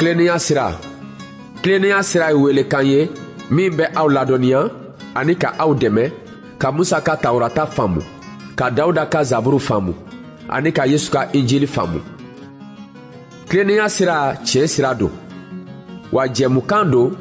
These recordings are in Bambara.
Tilennenya sira. Tilennenya sira ye welekan ye min bɛ aw ladɔnniya ani ka aw dɛmɛ ka Musa ka Tawurata faamu, ka Dawuda ka Zaburu faamu ani ka Yesu ka Injili faamu. Tilennenya sira tiɲɛ sira don, wa jɛmukan don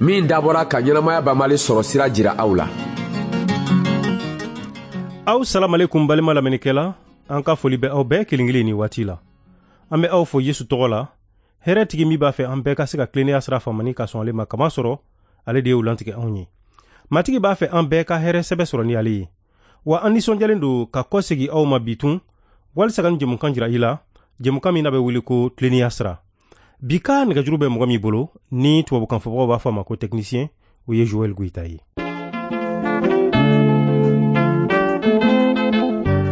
min dabɔra ka ɲɛnamaya banbali sɔrɔ sira jira aw la. Aw salamalekum balima lamɛnnikɛla, an ka foli bɛ aw bɛɛ kelen kelen ni waati la. An bɛ aw fo Yesu tɔgɔ la, hɛrɛtigi min b'a fɛ an bɛɛ ka se ka tilennenya sira faamani ka sɔn ale ma, kamasɔrɔ ale de y'o lantigɛ anw ye. Matigi b'a fɛ an bɛɛ ka hɛrɛ sɛbɛ sɔrɔ ni ale ye. Wa an nisɔndiyalen don ka kɔsegi aw ma bi tun, walisa ka nin jɛmukan jira i la, jɛmukan min n'a bɛ wele ko tilennenya sira. Bi ka nɛgɛjuru bɛ mɔgɔ min bolo, ni tubabukan fɔbagaw b'a fɔ a ma ko technicien, o ye Joël Goïta ye.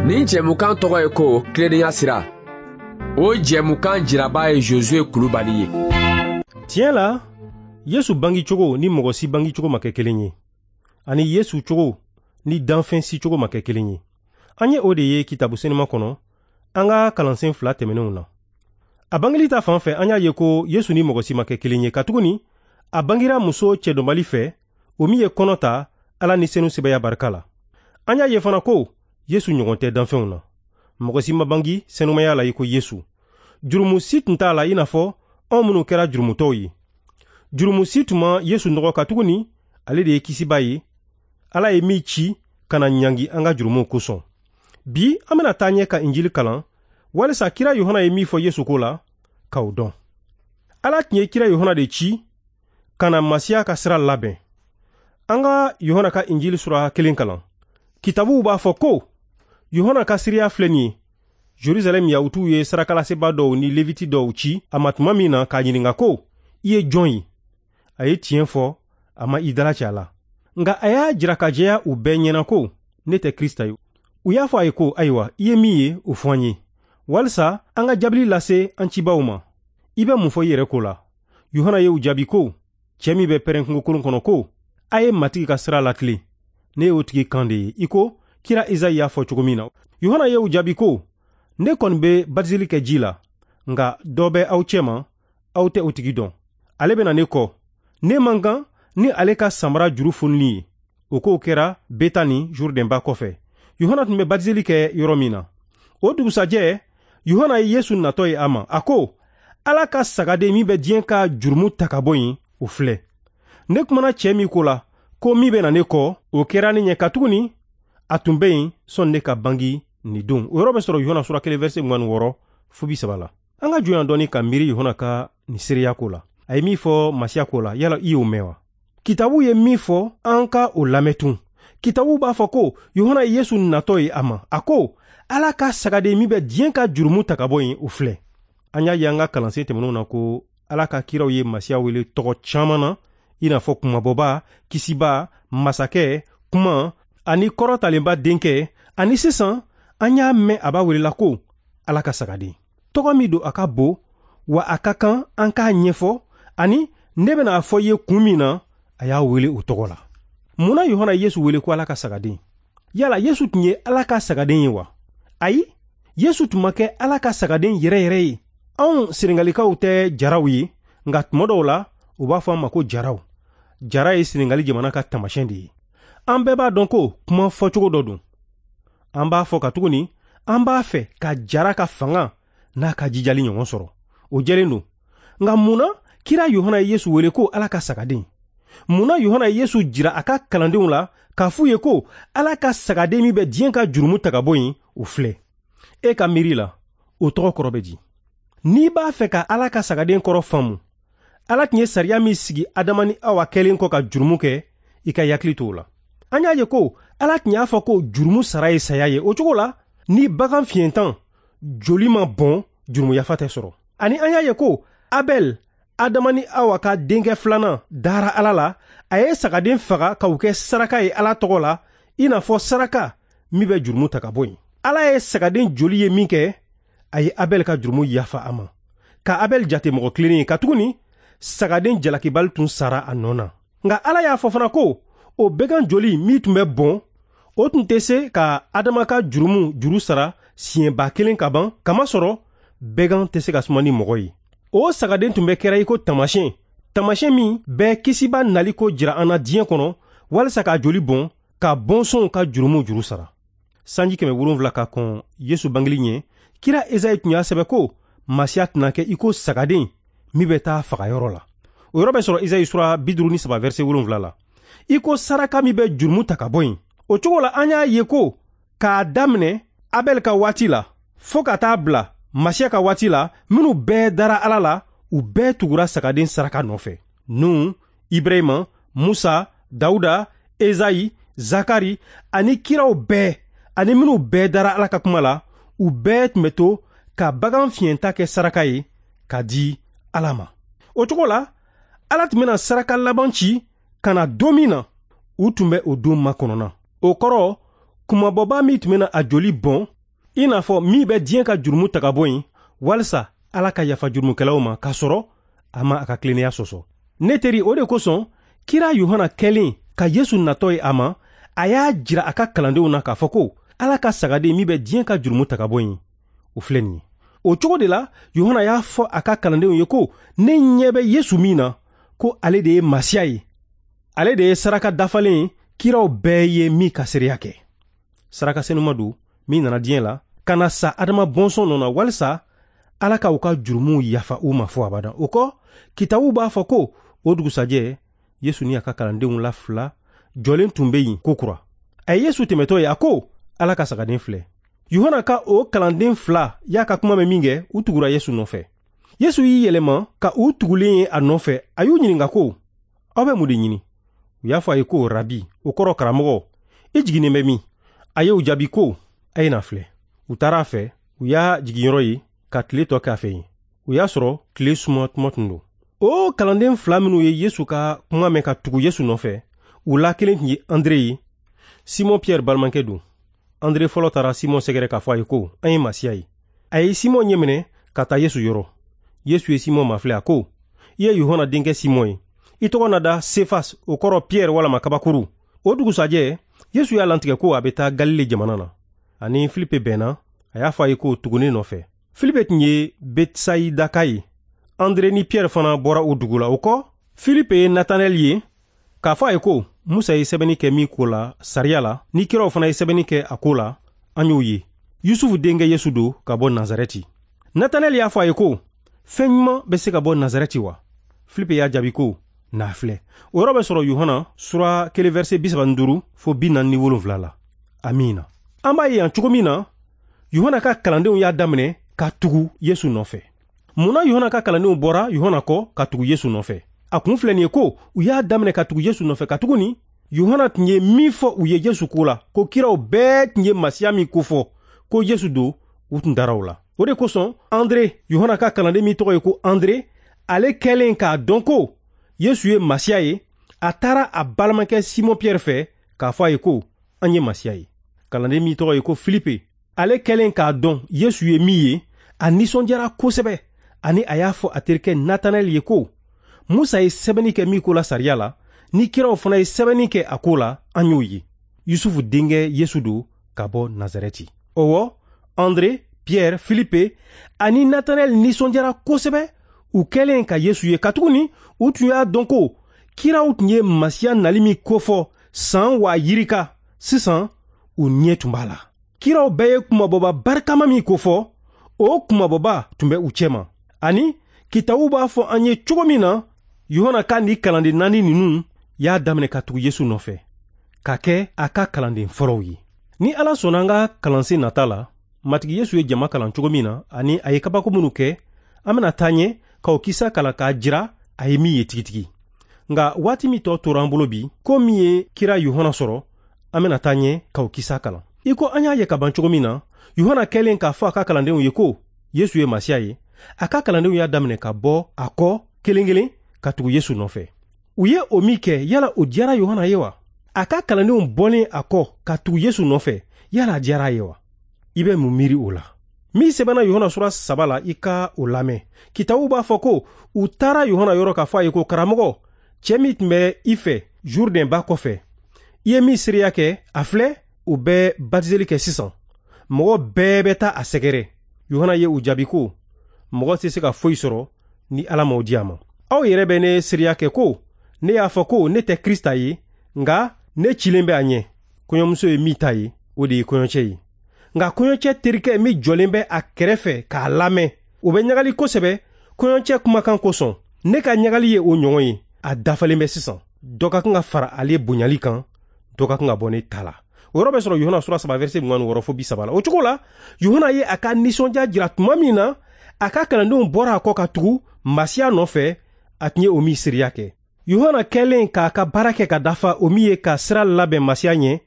Nin jɛmukan tɔgɔ ye ko tilennenya sira. O jɛmukan jiraba ye Josué Kulubali ye. Tiɲɛ la, Yesu bangicogo ni mɔgɔ si bangicogo ma kɛ kelen ye, ani Yesu cogo ni danfɛn si cogo ma kɛ kelen ye. An ye o de ye kitabu senima kɔnɔ an ka kalansen fila tɛmɛnenw na. A bangeli ta fan fɛ, an y'a ye ko Yesu ni mɔgɔ si ma kɛ kelen ye, katuguni a bangira muso cɛdɔnbali fɛ, o min ye kɔnɔ ta Ala ni senu sɛbɛya barika la. An y'a ye fana ko Yesu ɲɔgɔn tɛ danfɛnw na. Mɔgɔ si ma bangi senumaya la i ko Yesu. Jurumu si tun t'a la i n'a fɔ anw minnu kɛra jurumutɔw ye. Jurumu si tun ma Yesu nɔgɔ, katuguni ale de ye kisiba ye, Ala ye min ci ka na ɲangi an ka jurumuw kosɔn. Bi an bɛna taa ɲɛ ka Injili kalan walisa kira Yohana ye min fɔ Yesu ko la, k'aw dɔn. Ala tun ye kira Yohana de ci ka na Masiya ka sira labɛn. An ka Yohana ka Injili sura 1 kalan. Kitabuw b'a fɔ ko Yohana ka seereya filɛ nin ye. Jerusalɛm Yahutuw ye sarakalaseba dɔw ni Leviti dɔw ci a ma tuma min na k'a ɲininka ko, i ye jɔn ye? A ye tiɲɛ fɔ, a ma i dalacɛ a la. Nka a y'a jira ka jɛya u bɛɛ ɲɛna ko, ne tɛ Krista ye. U y'a fɔ a ye ko, ayiwa, i ye min ye, o fɔ an ye, walisa an ka jaabili lase an cibaw ma. I bɛ mun fɔ i yɛrɛ ko la? Yohana ye u jaabi ko, cɛ min bɛ pɛrɛn kungokolon kɔnɔ ko, a ye Matigi ka sira latilen. Ne y'o tigi kan de ye, i ko kira Ezayi y'a fɔ cogo min na. Yohana ye u jaabi ko, ne kɔni bɛ batizeli kɛ ji la, nka dɔ bɛ aw cɛma, aw tɛ o tigi dɔn. Ale bɛ na ne kɔ. Ne man kan ni ale ka samara juru fonili ye. O kow kɛra Betani Jourdain ba kɔfɛ. Yohana tun bɛ batizeli kɛ yɔrɔ min na. O dugusajɛ, Yohana ye Yesu natɔ ye a ma. A ko, Ala ka sagaden min bɛ diɲɛ ka jurumu ta ka bɔ yen, o filɛ. Ne kumana cɛ min ko la, ko min bɛ na ne kɔ, o kɛra ne ɲɛ, katuguni a tun bɛ yen sɔnni ne ka bangi nin don. O yɔrɔ bɛ sɔrɔ Yohana sura 1 verset 26 fo 30 la. An ka jɔ yan dɔɔni ka miiri Yohana ka nin seereya ko la. A ye min fɔ Masiya ko la, yala i y'o mɛn wa? Kitabu ye min fɔ, an ka o lamɛn tun. Kitabu b'a fɔ ko Yohana ye Yesu natɔ ye a ma. A ko, Ala ka sagaden min bɛ diɲɛ ka jurumu ta ka bɔ yen, o filɛ. An y'a ye an ka kalansen tɛmɛnenw na ko Ala ka kiraw ye Masiya wele tɔgɔ caman na, i n'a fɔ kumabɔba, kisiba, masakɛ, kuma, ani kɔrɔtalenba denkɛ, ani sisan an y'a mɛn a b'a welela ko Ala ka sagaden. Tɔgɔ min don a ka bon, wa a ka kan an k'a ɲɛfɔ, ani ne bɛna a fɔ i ye kun min na a y'a wele o tɔgɔ la. Mun na Yohana ye Yesu wele ko Ala ka sagaden? Yala Yesu tun ye Ala ka sagaden ye wa? Ayi, Yesu tun ma kɛ Ala ka sagaden yɛrɛ yɛrɛ ye. Anw Senegalikaw tɛ jaraw ye, nka tuma dɔw la u b'a fɔ an ma ko jaraw. Jara ye Senegali jamana ka taamasiyɛn de ye. An bɛɛ b'a dɔn ko kuma fɔcogo dɔ don. An b'a fɔ katuguni an b'a fɛ ka jara ka fanga n'a ka jijali ɲɔgɔn sɔrɔ. O jɛlen don. Nka mun na kira Yohana ye Yesu wele ko Ala ka sagaden? Mun na Yohana ye Yesu jira a ka kalandenw la k'a f'u ye ko Ala ka sagaden min bɛ diɲɛ ka jurumu ta ka bɔ yen, o filɛ? E ka miiri la, o tɔgɔ kɔrɔ bɛ di? N'i b'a fɛ ka Ala ka sagaden kɔrɔ faamu, Ala tun ye sariya min sigi Adama ni Awa kɛlen kɔ ka jurumu kɛ, i ka hakili to o la. An y'a ye ko Ala tun y'a fɔ ko jurumu sara ye saya ye. O cogo la, ni bagan fiɲɛtan joli ma bɔn, jurumu yafa tɛ sɔrɔ. Ani an y'a ye ko Abɛl, Adama ni Awa ka denkɛ filanan, dara Ala la, a ye sagaden faga k'o kɛ saraka ye Ala tɔgɔ la, i n'a fɔ saraka min bɛ jurumu ta ka bɔ yen. Ala ye sagaden joli ye min kɛ, a ye Abɛl ka jurumu yafa a ma, ka Abɛl jate mɔgɔ tilennen ye, katuguni sagaden jalakibali tun sara a nɔ na. Nka Ala y'a fɔ fana ko o bɛgan joli min tun bɛ bɔn, o tun tɛ se ka Adama ka jurumu juru sara siɲɛba kelen ka ban, kamasɔrɔ bɛgan tɛ se ka suma ni mɔgɔ ye. O sagaden tun bɛ kɛra i ko taamasiyɛn, taamasiyɛn min bɛ kisiba nali ko jira an na diɲɛ kɔnɔ, walisa k'a joli bɔn ka bɔnsɔnw ka jurumuw juru sara. Sanji 700 ka kɔn Yesu bangeli ɲɛ, kira Ezayi tun y'a sɛbɛn ko Masiya tɛna kɛ i ko sagaden min bɛ taa fagayɔrɔ la. O yɔrɔ bɛ sɔrɔ Ezayi sura 53 verset 7 la. I ko saraka min bɛ jurumu ta ka bɔ yen. O cogo la an y'a ye ko k'a daminɛ Abɛl ka waati la fo ka taa bila Masiya ka waati la, minnu bɛɛ dara Ala la, u bɛɛ tugura sagaden saraka nɔfɛ. Nuhu, Ibrahima, Musa, Dawuda, Ezayi, Zakari ani kiraw bɛɛ ani minnu bɛɛ dara Ala ka kuma la, u bɛɛ tun bɛ to ka bagan fiɲɛta kɛ saraka ye ka di Ala ma. O cogo la, Ala tun bɛna saraka laban ci ka na don min na, u tun bɛ o don makɔnɔna. O kɔrɔ, kunmabɔba min tun bɛna a joli bɔn, i n'a fɔ min bɛ diɲɛ ka jurumu ta ka bɔ yen, walisa Ala ka yafa jurumukɛlaw ma k'a sɔrɔ a ma a ka tilennenya sɔsɔ. Ne teri, o de kosɔn kira Yohana kɛlen ka Yesu natɔ ye a ma, a y'a jira a ka kalandenw na k'a fɔ ko Ala ka sagaden min bɛ diɲɛ ka jurumu ta ka bɔ yen, o filɛ nin ye. O cogo de la, Yohana y'a fɔ a ka kalandenw ye ko ne ɲɛ bɛ Yesu min na, ko ale de ye Masiya ye. Ale de ye saraka dafalen ye, kiraw bɛɛ ye min ka seereya kɛ. Saraka senuma don min nana diɲɛ la ka na sa Adama bɔnsɔn nɔ na, walisa Ala ka u ka jurumuw yafa u ma fo abada. O kɔ, kitabu b'a fɔ ko o dugusajɛ Yesu ni a ka kalandenw la fila jɔlen tun bɛ yen kokura. A ye Yesu tɛmɛtɔ ye, a ko Ala ka sagaden filɛ. Yohana ka o kalanden fila y'a ka kuma mɛn min kɛ, u tugura Yesu nɔfɛ. Yesu y'i yɛlɛma ka u tugulen ye a nɔfɛ, a y'u ɲininka ko aw bɛ mun de ɲini? U y'a fɔ a ye ko rabi, o kɔrɔ karamɔgɔ, i jiginnen bɛ min? A y'u jaabi ko a ye na filɛ. U taara a fɛ, u y'a jiginyɔrɔ ye ka tile tɔ kɛ a fɛ yen. U y'a sɔrɔ tile suma tuma tun don. O kalanden fila minnu ye Yesu ka kuma mɛn ka tugu Yesu nɔfɛ, u la kelen tun ye Andre ye, Simɔn Pierre balimakɛ don. Andre fɔlɔ taara Simɔn sɛgɛrɛ k'a fɔ a ye ko an ye Masiya ye. A ye Simɔn ɲɛminɛ ka taa Yesu yɔrɔ. Yesu ye Simɔn mafilɛ, a ko i ye Yohana denkɛ Simɔn ye. I tɔgɔ na da Sefas, o kɔrɔ Pierre walama kabakuru. O dugusajɛ, Yesu y'a lantigɛ ko a bɛ taa Galile jamana na. Ani Filipe bɛnna, a y'a fɔ a ye ko tugu ne nɔfɛ. Filipe tun ye Betsayidaka ye. Andre ni Pierre fana bɔra o dugu la. O kɔ, Filipe ye Natanɛl ye k'a fɔ a ye ko Musa ye sɛbɛnni kɛ min ko la sariya la, ni kiraw fana ye sɛbɛnni kɛ a ko la, an y'o ye. Yusufu denkɛ Yesu don ka bɔ Nazarɛti. Natanɛl y'a fɔ a ye ko fɛn ɲuman bɛ se ka bɔ Nazarɛti wa? Filipe y'a jaabi ko n'a filɛ. O yɔrɔ bɛ sɔrɔ Yohana sura 1 verset 35 fo 47 la. Amiina. An b'a ye yan cogo min na, Yohana ka kalandenw y'a daminɛ ka tugu Yesu nɔfɛ. Mun na Yohana ka kalandenw bɔra Yohana kɔ ka tugu Yesu nɔfɛ? A kun filɛ nin ye ko u y'a daminɛ ka tugu Yesu nɔfɛ katuguni Yohana tun ye min fɔ u ye Yesu ko la, ko kiraw bɛɛ tun ye Masiya min kofɔ ko Yesu don, u tun dara o la. O de kosɔn Andre, Yohana ka kalanden min tɔgɔ ye ko Andre, ale kɛlen k'a dɔn ko Yesu ye Masiya ye, a taara a balimakɛ Simɔn Pierre fɛ k'a fɔ a ye ko an ye Masiya ye. Kalanden min tɔgɔ ye ko Filipe, ale kɛlen k'a dɔn Yesu ye min ye, a nisɔndiyara kosɛbɛ, ani a y'a fɔ a terikɛ Natanɛl ye ko Musa ye sɛbɛnni kɛ min ko la sariya la, ni kiraw fana ye sɛbɛnni kɛ a ko la, an y'o ye. Yusufu denkɛ Yesu don ka bɔ Nazarɛti. Ɔwɔ, Andre, Pierre, Filipe ani Natanɛl nisɔndiyara kosɛbɛ u kɛlen ka Yesu ye, katuguni u tun y'a dɔn ko kiraw tun ye Masiya nali min kofɔ san 2000, sisan u ɲɛ tun b'a la. Kiraw bɛɛ ye kunmabɔba barikama min kofɔ, o kunmabɔba tun bɛ u cɛma. Ani kitabu b'a fɔ an ye cogo min na, Yohana ka ni kalanden naani ninnu y'a daminɛ ka tugu Yesu nɔfɛ, ka kɛ a ka kalanden fɔlɔw ye. Ni Ala sɔnna an ka kalansen nata la, Matigi Yesu ye jama kalan cogo min na ani a ye kabako minnu kɛ, an bɛna taa ɲɛ k'o kisa kalan k'a jira a ye min ye tigitigi. Nka waati min tɔ tora an bolo bi, ko min ye kira Yohana sɔrɔ, an bɛna taa ɲɛ k'o kisa kalan. I ko an y'a ye ka ban cogo min na, Yohana kɛlen k'a fɔ a ka kalandenw ye ko Yesu ye Masiya ye, a ka kalandenw y'a daminɛ ka bɔ a kɔ kelen kelen ka tugu Yesu nɔfɛ. U ye o min kɛ, yala o diyara Yohana ye wa? A ka kalandenw bɔlen a kɔ ka tugu Yesu nɔfɛ, yala a diyara a ye wa? I bɛ mun miiri o la? Min sɛbɛnna Yohana sura 3 la, i ka o lamɛn. Kitabu b'a fɔ ko u taara Yohana yɔrɔ k'a fɔ a ye ko karamɔgɔ, cɛ min tun bɛ i fɛ Jourdain ba kɔfɛ, i ye min seereya kɛ, a filɛ, u bɛ batizeli kɛ sisan. Mɔgɔ bɛɛ bɛ taa a sɛgɛrɛ. Yohana ye u jaabi ko mɔgɔ tɛ se ka foyi sɔrɔ ni Ala m'o di a ma. Aw yɛrɛ bɛ ne seereya kɛ ko ne y'a fɔ ko ne tɛ Krista ye, nka ne cilen bɛ a ɲɛ. Kɔɲɔmuso ye min ta ye, o de ye kɔɲɔcɛ ye. Nka kɔɲɔcɛ terikɛ min jɔlen bɛ a kɛrɛfɛ k'a lamɛn, o bɛ ɲagali kosɛbɛ kɔɲɔcɛ kumakan kosɔn. Ne ka ɲagali ye o ɲɔgɔn ye, a dafalen bɛ sisan. Dɔ ka kan ka fara ale bonyali kan, dɔ ka kan ka bɔ ne ta la. O yɔrɔ bɛ sɔrɔ Yohana sura 3 verset 26 fo 30 la. O cogo la, Yohana ye a ka nisɔndiya jira tuma min na, a ka kalandenw bɔra a kɔ ka tugu Masiya nɔfɛ, a tun ye o min seereya kɛ. Yohana kɛlen k'a ka baara kɛ ka dafa, o min ye ka sira labɛn Masiya ɲɛ,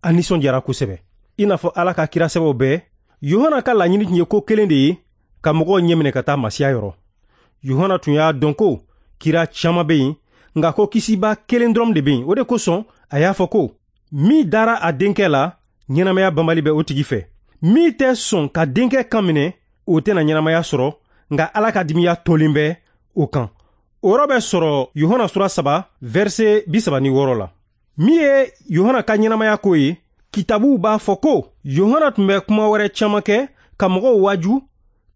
a nisɔndiyara kosɛbɛ. I n'a fɔ Ala ka kira sɛbɛw bɛɛ, Yohana ka laɲini tun ye ko kelen de ye, ka mɔgɔw ɲɛminɛ ka taa Masiya yɔrɔ. Yohana tun y'a dɔn ko kira caman bɛ yen, nka ko kisiba kelen dɔrɔn de bɛ yen. O de kosɔn a y'a fɔ ko min dara a denkɛ la, ɲɛnamaya banbali bɛ o tigi fɛ. Min tɛ sɔn ka denkɛ kan minɛ, o tɛna ɲɛnamaya sɔrɔ, nka Ala ka dimiya tolen bɛ o kan. O yɔrɔ bɛ sɔrɔ Yohana sura 3 verset 36 la. Min ye Yohana ka ɲɛnamaya ko ye, kitabuw b'a fɔ ko Yohana tun bɛ kuma wɛrɛ caman kɛ ka mɔgɔw waaju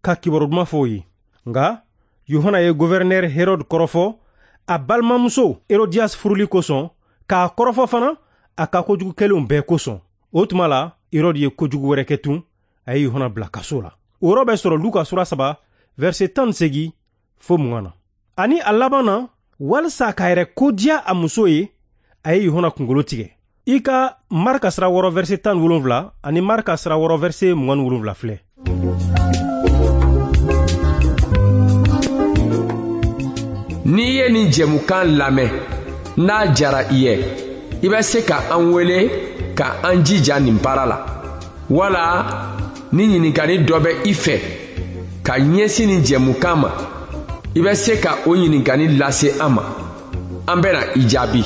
ka kibaru duman fɔ o ye. Nka Yohana ye gouverneur Herode kɔrɔfɔ a balimamuso Herodias furuli kosɔn, k'a kɔrɔfɔ fana a ka kojugu kɛlenw bɛɛ kosɔn. O tuma la, Herode ye kojugu wɛrɛ kɛ tun, a ye Yohana bila kaso la. O yɔrɔ bɛ sɔrɔ Luka sura 3 verset 18 fo 20 na. Ani a laban na, walisa k'a yɛrɛ kodiya a muso ye, a ye Yohana kunkolo tigɛ. I ka Marka sura 6 verset 17 ani Marka sura 6 verset 27 filɛ. N'i ye nin jɛmukan lamɛn, n'a diyara i ye, i bɛ se ka an wele ka an jija nin baara la. Wala ni ɲininkali dɔ bɛ i fɛ ka ɲɛsin nin jɛmukan ma, i bɛ se ka o ɲininkali lase an ma. An bɛna i jaabi.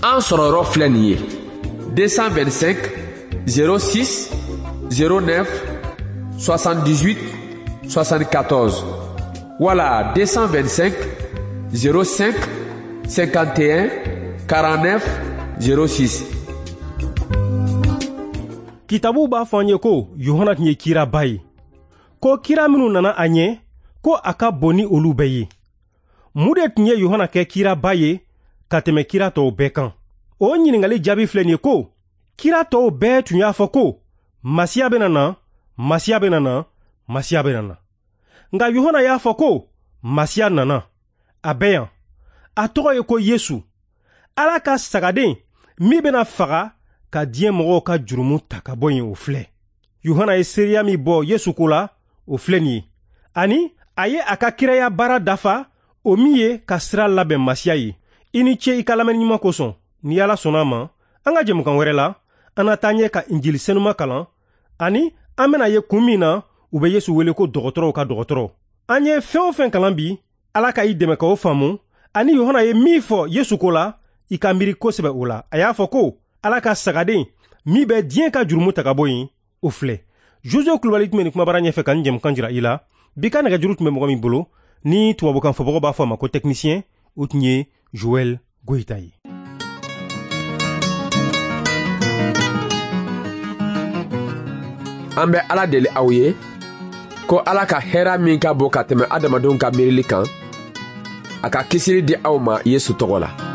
An sɔrɔyɔrɔ filɛ nin ye: 225 06 09 78 74 wala 225 05 51 49 06. Kitabuw b'a fɔ an ye ko Yohana tun ye kiraba ye, ko kira minnu nana a ɲɛ, ko a ka bon ni olu bɛɛ ye. Mun de tun ye Yohana kɛ kiraba ye ka tɛmɛ kira tɔw bɛɛ kan? O ɲininkali jaabi filɛ nin ye ko kira tɔw bɛɛ tun y'a fɔ ko Masiya bɛna na, Masiya bɛna na, Masiya bɛna na. Nka Yohana y'a fɔ ko Masiya nana, a bɛ yan. A tɔgɔ ye ko Yesu, Ala ka sagaden min bɛna faga ka diɲɛ mɔgɔw ka jurumu ta ka bɔ yen, o filɛ. Yohana ye seereya min bɔ Yesu ko la, o filɛ nin ye. Ani a ye a ka kiraya baara dafa, o min ye ka sira labɛn Masiya ye. I ni ce i ka lamɛnni ɲuman kosɔn. Ni Ala sɔnna a ma, an ka jɛmukan wɛrɛ la, an na taa ɲɛ ka Injili senuma kalan, ani an bɛna ye kun min na u bɛ Yesu wele ko dɔgɔtɔrɔw ka dɔgɔtɔrɔ. An ye fɛn o fɛn kalan bi, Ala ka i dɛmɛ k'o faamu, ani Yohana ye min fɔ Yesu ko la, i ka miiri kosɛbɛ o la. A y'a fɔ ko Ala ka sagaden min bɛ diɲɛ ka jurumu ta ka bɔ yen, o filɛ. Josué Kulubali tun bɛ nin kumabara ɲɛfɛ ka nin jɛmukan jira i la. Bi ka nɛgɛjuru tun bɛ mɔgɔ min bolo, ni tubabukan fɔbagaw b'a fɔ a ma ko technicien, o tun ye Joël Goyita ye. An bɛ Ala deli aw ye ko Ala ka hɛrɛ min ka bon ka tɛmɛ adamadenw ka miirili kan, a ka kisili di aw ma Yesu tɔgɔ la.